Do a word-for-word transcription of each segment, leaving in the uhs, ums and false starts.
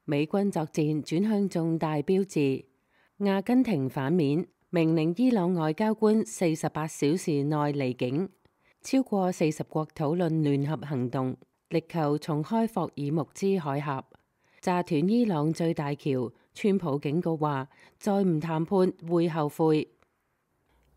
美軍作戰轉向重大標誌。阿根廷反面，命令伊朗外交官四十八小時內離境。超過四十國討論聯合行動，力求重開霍爾木茲海峽，炸斷伊朗最大橋。川普警告話，再唔談判會後悔。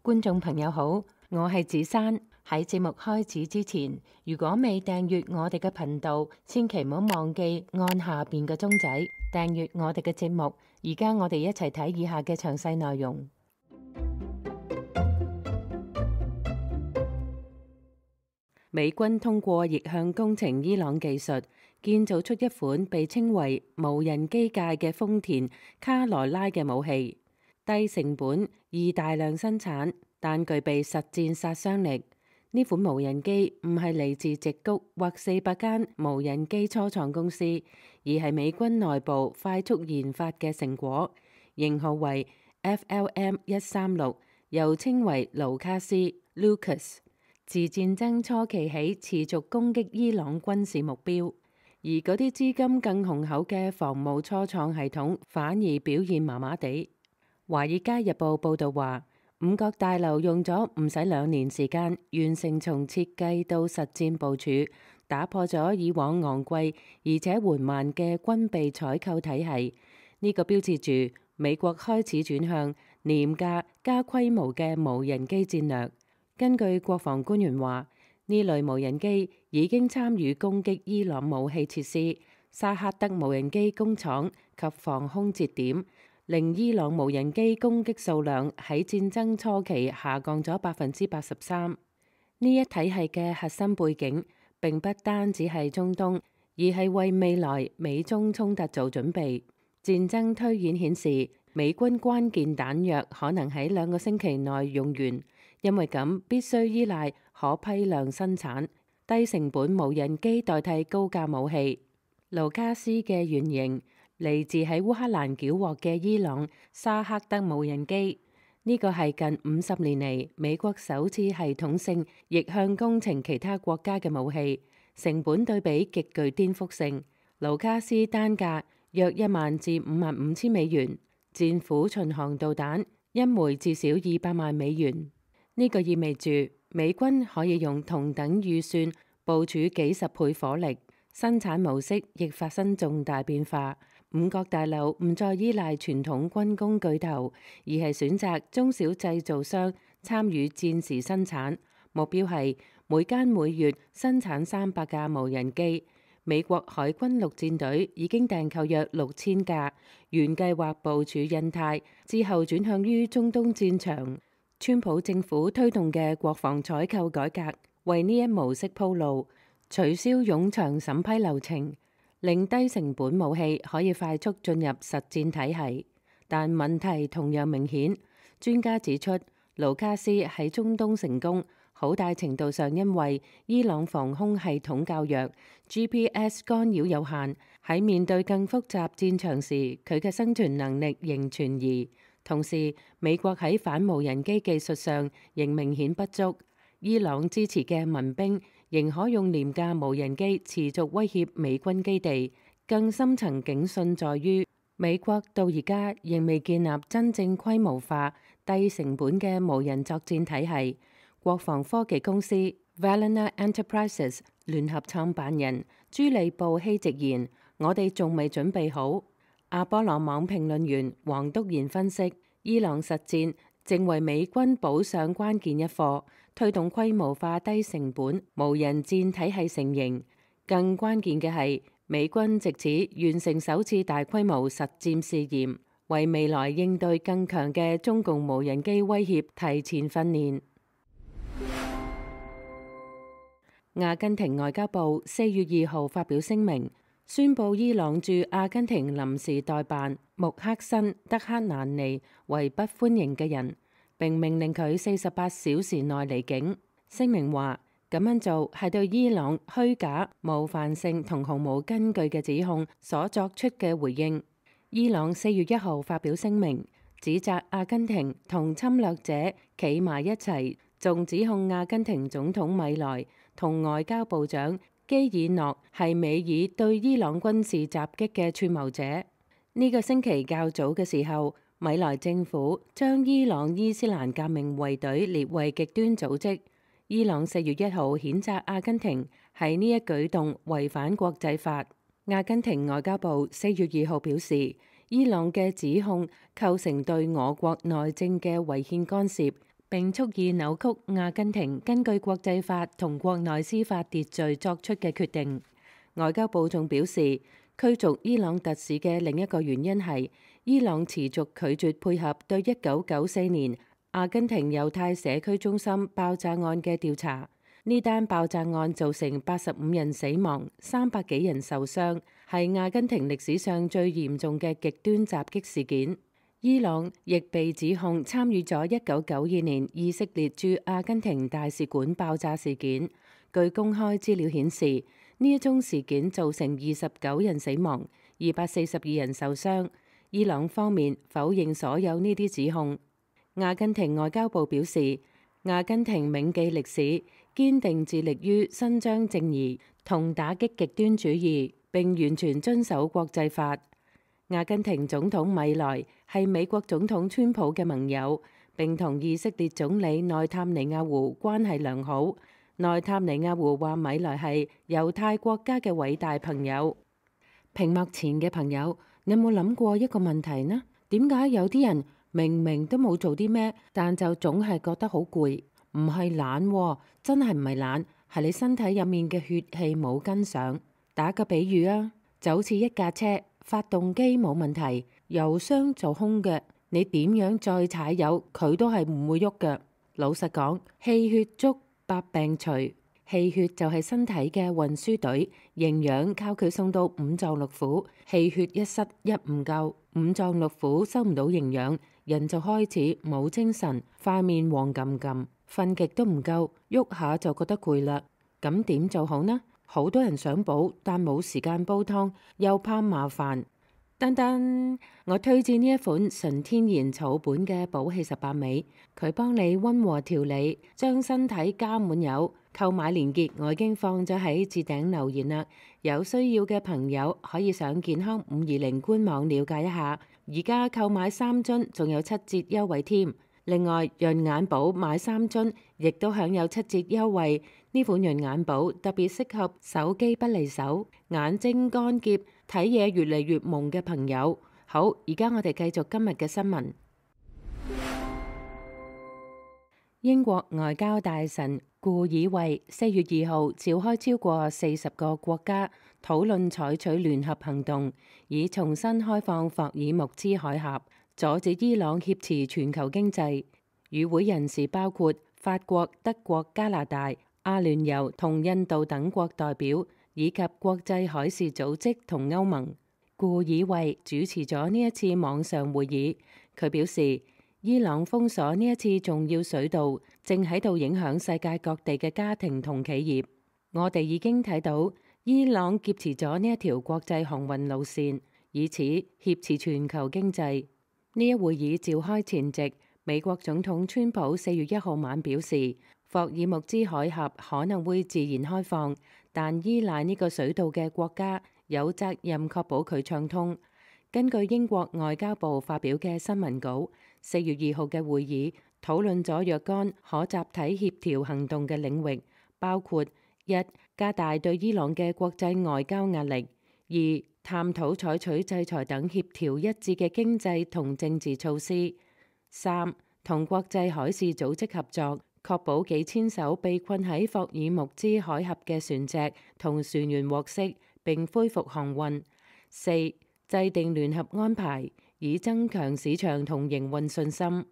觀眾朋友好，我係子珊。喺節目開始之前，如果未訂閱我哋嘅頻道，千祈唔好忘記按下邊嘅鐘仔訂閱我哋嘅節目。而家我哋一齊睇以下嘅詳細內容。美軍通過逆向工程伊朗技術，建造出一款被稱為無人機界嘅豐田卡羅拉嘅武器，低成本易大量生產，但具備實戰殺傷力。呢款無人機唔係嚟自矽谷或四百間無人機初創公司，而係美軍內部快速研發嘅成果，型號為 F L M 一三六，又稱為盧卡斯 Lucas。自戰爭初期起，持續攻擊伊朗軍事目標，而嗰啲資金更雄厚嘅防務初創系統反而表現麻麻地。《華爾街日報》報導話，五角大樓用咗唔使兩年時間完成從設計到實戰部署，打破咗以往昂貴而且緩慢嘅軍備採購體系。呢、這個標誌住美國開始轉向廉價加規模嘅無人機戰略。根據國防官員話，呢類無人機已經參與攻擊伊朗武器設施、薩赫德無人機工廠及防空節點，令伊朗無人機攻擊數量喺戰爭初期下降咗百分之八十三。呢一體系嘅核心背景並不單只係中東，而係為未來美中衝突做準備。戰爭推演顯示，美軍關鍵彈藥可能喺兩個星期內用完。因為咁，必須依賴可批量生產、低成本無人機代替高價武器。盧卡斯嘅原型嚟自喺烏克蘭繳獲嘅伊朗沙克德無人機，呢個係近五十年嚟美國首次系統性逆向工程其他國家嘅武器，成本對比極具顛覆性。盧卡斯單價約一萬至五萬五千美元，戰斧巡航導彈一枚至少二百萬美元。呢個意味住美軍可以用同等預算部署幾十倍火力，生產模式亦發生重大變化。五角大樓唔再依賴傳統軍工巨頭，而係選擇中小製造商參與戰時生產，目標係每間每月生產三百架無人機。美國海軍陸戰隊已經訂購約六千架，原計劃部署印太，之後轉向於中東戰場。川普政府推動嘅國防採購改革，為呢一模式鋪路，取消冗長審批流程，令低成本武器可以快速進入實戰體系。但問題同樣明顯，專家指出，盧卡斯喺中東成功，好大程度上因為伊朗防空系統較弱， G P S 干擾有限，喺面對更複雜戰場時，佢嘅生存能力仍存疑。同時，美國喺反無人機技術上仍明顯不足。伊朗支持嘅民兵仍可用廉價無人機持續威脅美軍基地。更深層警訊在於，美國到而家仍未建立真正規模化、低成本嘅無人作戰體系。國防科技公司 Vallana Enterprises 聯合創辦人朱利布希直言：我哋仲未準備好。阿波羅網評論員黃篤賢分析，伊朗實戰正為美軍補上關鍵一課，推動規模化低成本無人戰體系成型。更關鍵嘅係，美軍藉此完成首次大規模實戰試驗，為未來應對更強嘅中共無人機威脅提前訓練。阿根廷外交部四月二號發表聲明，宣布伊朗駐阿根廷臨時代辦穆克辛德克蘭尼為不歡迎嘅人，並命令佢四十八小時內離境。聲明話，咁樣做係對伊朗虛假、冒犯性同毫無根據嘅指控所作出嘅回應。伊朗四月一號發表聲明，指責阿根廷同侵略者企埋一齊，仲指控阿根廷總統米萊同外交部長基爾諾係美爾對伊朗軍事襲擊嘅串謀者。呢、這個星期較早嘅時候，米萊政府將伊朗伊斯蘭革命衛隊列為極端組織。伊朗四月一號譴責阿根廷係呢一舉動違反國際法。阿根廷外交部四月二號表示，伊朗嘅指控構成對我國內政嘅違憲干涉，並蓄意扭曲阿根廷根據國際法同國內司法秩序作出嘅決定。外交部仲表示，驅逐伊朗特使嘅另一個原因係伊朗持續拒絕配合對一九九四年阿根廷猶太社區中心爆炸案嘅調查。呢單爆炸案造成八十五人死亡、三百幾人受傷，係阿根廷歷史上最嚴重嘅極端襲擊事件。伊朗亦被指控參與咗一九九二年以色列駐阿根廷大使館爆炸事件。據公開資料顯示，呢一宗事件造成二十九人死亡、二百四十二人受傷。伊朗方面否認所有呢啲指控。阿根廷外交部表示，阿根廷銘記歷史，堅定致力於伸張正義同打擊極端主義，並完全遵守國際法。阿根廷總統米萊係美國總統川普嘅盟友，並同以色列總理內塔尼亞胡關係良好。內塔尼亞胡話米萊係猶太國家嘅偉大朋友。屏幕前嘅朋友，你有冇諗過一個問題呢？點解有啲人明明都冇做啲咩，但就總係覺得好攰？唔係懶喎，真係唔係懶，係你身體入面嘅血氣冇跟上。打個比喻啊，就好似一架車，發動機冇問題，油箱就空嘅，你點樣再踩油，佢都係唔會喐嘅。老實講，氣血足，百病除。氣血就係身體嘅運輸隊，營養靠佢送到五臟六腑。氣血一失一唔夠，五臟六腑收唔到營養，人就開始冇精神，塊面黃冚冚，瞓極都唔夠，喐下就覺得攰啦。咁點做好呢？好多人想補，但冇時間煲湯，又怕麻煩。噔噔，我推薦呢一款純天然草本嘅補氣十八味，佢幫你溫和調理，將身體加滿油。購買鏈接我已經放咗喺置頂留言啦，有需要嘅朋友可以上健康五二零官網了解一下。而家購買三樽仲有七折優惠添。另外潤眼寶買三樽亦都享有七折優惠。呢款潤眼寶特別適合手機不離手、眼睛乾澀、睇嘢越嚟越朦嘅朋友。好，而家我哋繼續今日嘅新聞。英國外交大臣顧爾惠四月二號召開超過四十個國家討論採取聯合行動，以重新開放霍爾木茲海峽，阻止伊朗挾持全球經濟。與會人士包括法國、德國、加拿大、阿聯酋同印度等國代表，以及國際海事組織同歐盟。顧爾惠主持咗呢一次網上會議，佢表示，伊朗封鎖呢一次重要水道，正喺度影響世界各地嘅家庭同企業。我哋已經睇到伊朗劫持咗呢一條國際航運路線，以此挾持全球經濟。呢一會議召開前夕，美國總統川普四月一號晚表示，霍爾木茲海峽可能會自然開放，但依賴呢個水道嘅國家有責任確保佢暢通。根據英國外交部發表嘅新聞稿，四月二號嘅會議討論咗若干可集體協調行動嘅領域，包括一、加大對伊朗嘅國際外交壓力；二、探討採取制裁等協調一致嘅經濟同政治措施；三、同國際海事組織合作，確保幾千艘被困喺霍爾木茲海峽嘅船隻同船員獲釋並恢復航運；四、制定聯合安排，以增強市場同營運信心。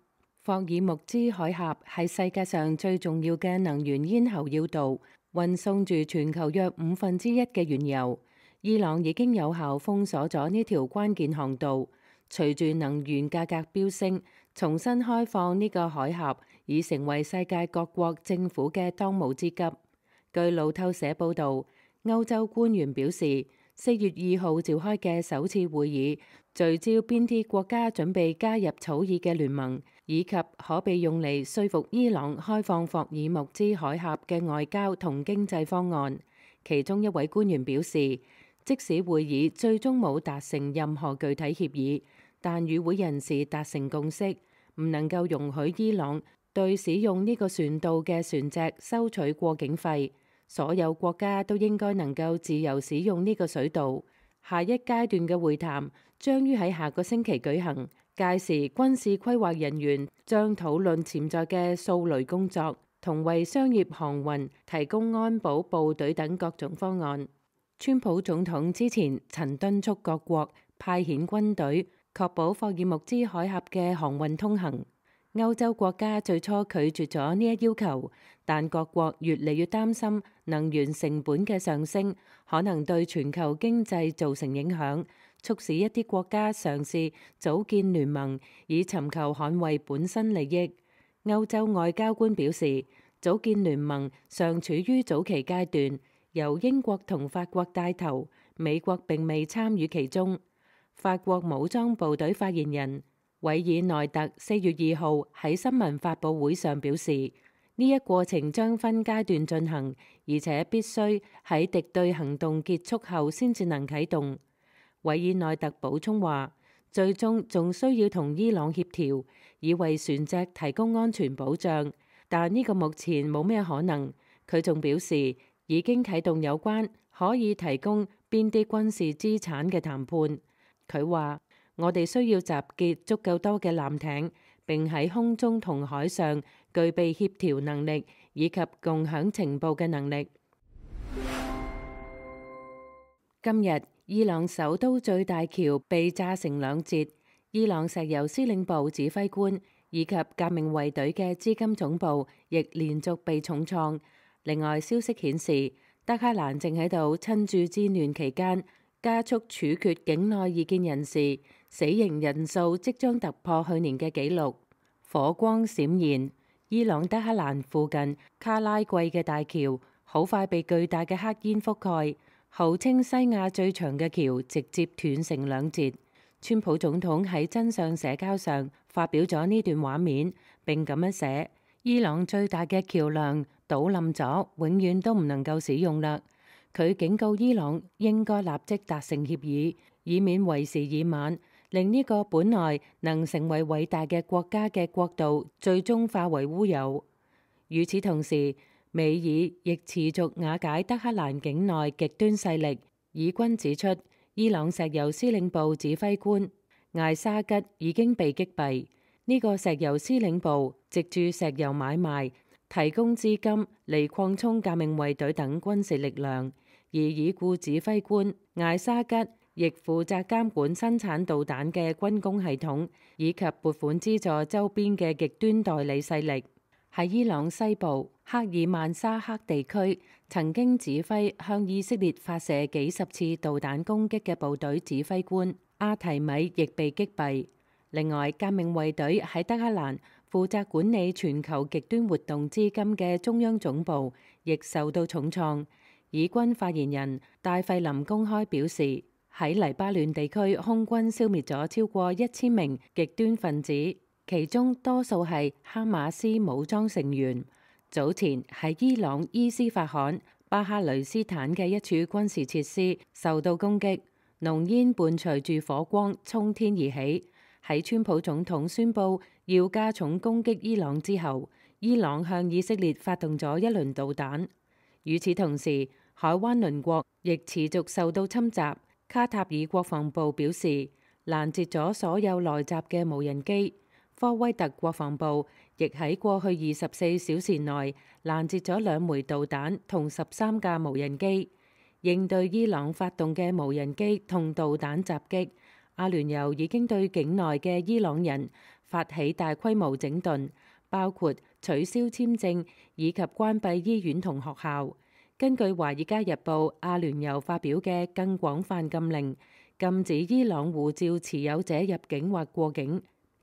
霍爾木茲海峽係世界上最重要嘅能源咽喉要道，運送住全球約五分之一嘅原油。伊朗已經有效封鎖咗呢條關鍵航道。隨住能源價格飆升，重新開放呢個海峽已成為世界各國政府嘅當務之急。據路透社報導，歐洲官員表示，四月二號召開嘅首次會議聚焦邊啲國家準備加入草擬嘅聯盟，以及可被用嚟說服伊朗開放霍爾木茲海峽嘅外交同經濟方案。其中一位官員表示，即使會議最終冇達成任何具體協議，但與會人士達成共識，唔能夠容許伊朗對使用呢個船道嘅船隻收取過境費。所有國家都應該能夠自由使用呢個水道。下一階段嘅會談將於喺下個星期舉行，屆時軍事規劃人員將討論潛在嘅掃雷工作，同為商業航運提供安保部隊等各種方案。川普總統之前曾敦促各國派遣軍隊，確保霍爾木茲海峽嘅航運通行。歐洲國家最初拒絕咗呢一要求，但各國越嚟越擔心能源成本嘅上升可能對全球經濟造成影響，促使一啲國家嘗試組建聯盟，以尋求捍衛本身利益。歐洲外交官表示，組建聯盟尚處於早期階段，由英國同法國帶頭，美國並未參與其中。法國武裝部隊發言人韋爾內特四月二號喺新聞發佈會上表示，呢一過程將分階段進行，而且必須喺敵對行動結束後先至能啟動。韋爾內特補充話，最終仲需要同伊朗協調，以為船隻提供安全保障，但呢個目前冇咩可能。佢仲表示，已經啟動有關可以提供邊啲軍事資產嘅談判。佢話，我哋需要集結足夠多嘅艦艇，並喺空中同海上具備協調能力以及共享情報嘅能力。今日，伊朗首都最大橋被炸成兩截，伊朗石油司令部指揮官以及革命衛隊嘅資金總部亦連續被重創。另外，消息顯示，德黑蘭正喺度趁住戰亂期間加速處決境內異見人士，死刑人數即將突破去年嘅紀錄。火光閃現，伊朗德黑蘭附近卡拉季嘅大橋好快被巨大嘅黑煙覆蓋，號稱西亞最長嘅橋直接斷成兩截。川普總統喺真相社交上發表咗呢段畫面，並咁樣寫：伊朗最大嘅橋梁倒冧咗，永遠都唔能夠使用啦。佢警告伊朗應該立即達成協議，以免為時已晚，令呢個本來能成為偉大嘅國家嘅國度最終化為烏有。與此同時，美爾亦持續瓦解德黑蘭境內極端勢力。以軍指出，伊朗石油司令部指揮官艾沙吉已經被擊斃。呢、這個石油司令部藉住石油買賣提供資金嚟擴充革命衛隊等軍事力量，而已故指揮官艾沙吉亦負責監管生產導彈嘅軍工系統，以及撥款資助周邊嘅極端代理勢力。喺伊朗西部克爾曼沙克地區，曾經指揮向以色列發射幾十次導彈攻擊嘅部隊指揮官阿提米亦被擊斃。另外，革命衛隊喺德黑蘭負責管理全球極端活動資金嘅中央總部亦受到重創。以軍發言人戴費林公開表示，喺黎巴嫩地區空軍消滅咗超過一千名極端分子，其中多數係哈馬斯武裝成員。早前喺伊朗伊斯法罕巴哈雷斯坦嘅一處軍事設施受到攻擊，濃煙伴隨住火光衝天而起。喺川普總統宣布要加重攻擊伊朗之後，伊朗向以色列發動咗一輪導彈。與此同時，海灣鄰國亦持續受到侵襲。卡塔爾國防部表示，攔截咗所有來襲嘅無人機。科威特國防部亦喺過去二十四小時內攔截咗兩枚導彈同十三架無人機。應對伊朗發動嘅無人機同導彈襲擊，阿聯酋已經對境內嘅伊朗人發起大規模整頓，包括取消簽證以及關閉醫院同學校。根據《華爾街日報》，阿聯酋發表嘅更廣泛禁令，禁止伊朗護照持有者入境或過境。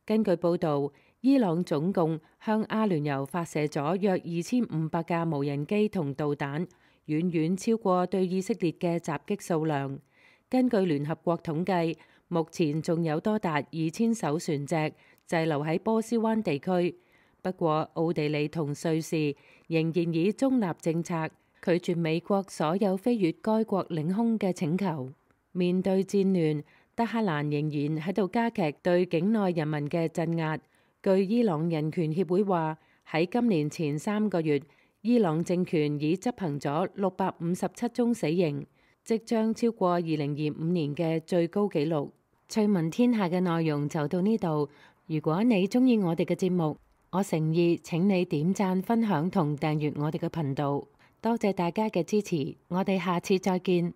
根據報導，伊朗總共向阿聯酋發射咗約二千五百架無人機同導彈，遠遠超過對以色列嘅襲擊數量。根據聯合國統計，目前仲有多達二千艘船隻滯留喺波斯灣地區。不過，奧地利同瑞士仍然以中立政策，拒絕美國所有飛越該國領空嘅請求。面對戰亂，德黑蘭仍然喺度加劇對境內人民嘅鎮壓。據伊朗人權協會話，喺今年前三個月，伊朗政權已執行咗六百五十七宗死刑，即將超過二零二五年嘅最高紀錄。趣聞天下嘅內容就到呢度。如果你鍾意我哋嘅節目，我誠意請你點讚、分享同訂閱我哋嘅頻道。多謝大家嘅支持，我哋下次再見。